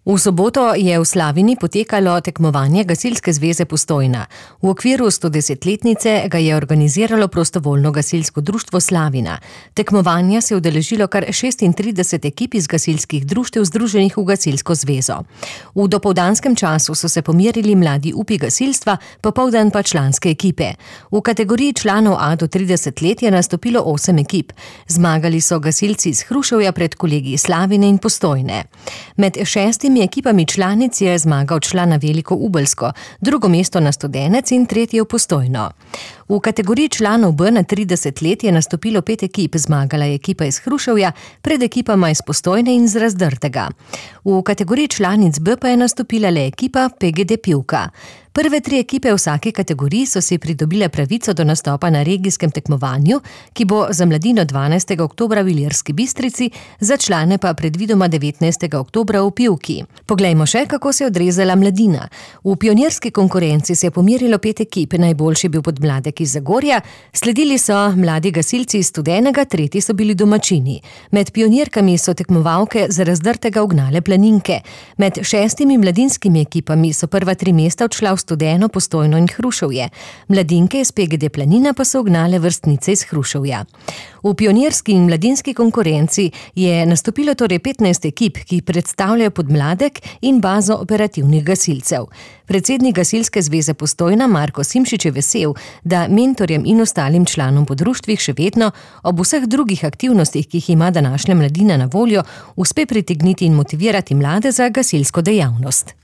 V soboto je v Slavini potekalo tekmovanje Gasilske zveze Postojna. V okviru 110-letnice ga je organiziralo prostovoljno gasilsko društvo Slavina. Tekmovanja se je udeležilo kar 36 ekip iz gasilskih društev združenih v Gasilsko zvezo. V dopoldanskem času so se pomerili mladi upi gasilstva, popoldan pa članske ekipe. V kategoriji članov A do 30 let je nastopilo 8 ekip. Zmagali so gasilci iz Hruševja pred kolegi Slavine in Postojne. Med 6 ekipami članic je zmagal član na Veliko Ubelsko, drugo mesto na Studenec in tretje v Postojno. V kategoriji članov B na 30 let je nastopilo 5 ekip, zmagala je ekipa iz Hruševja pred ekipama iz Postojne in z Razdrtega. V kategoriji članic B pa je nastopila le ekipa PGD Pivka. Prve 3 ekipe v vsaki kategoriji so si pridobile pravico do nastopa na regijskem tekmovanju, ki bo za mladino 12. oktobra v Ilirski Bistrici, za člane pa predvidoma 19. oktobra v Pivki. Poglejmo še, kako se je odrezala mladina. V pionirski konkurenci se je pomerilo 5 ekip, najboljši je bil podmladek iz Zagorja, sledili so mladi gasilci iz Studenega, tretji so bili domačini. Med pionirkami so tekmovalke z Razdrtega ugnale Planinke. Med 6 mladinskimi ekipami so prva 3 mesta odšla v Studeno, Postojno in Hruševje. Mladinke iz PGD Planina pa so ugnale vrstnice iz Hruševja. V pionirski in mladinski konkurenci je nastopilo torej 15 ekip, ki predstavljajo podmladek in bazo operativnih gasilcev. Predsednik Gasilske zveze Postojna Marko Simšič je vesel, da mentorjem in ostalim članom po društvih še vedno ob vseh drugih aktivnostih, ki jih ima današnja mladina na voljo, uspe pritegniti in motivirati mlade za gasilsko dejavnost.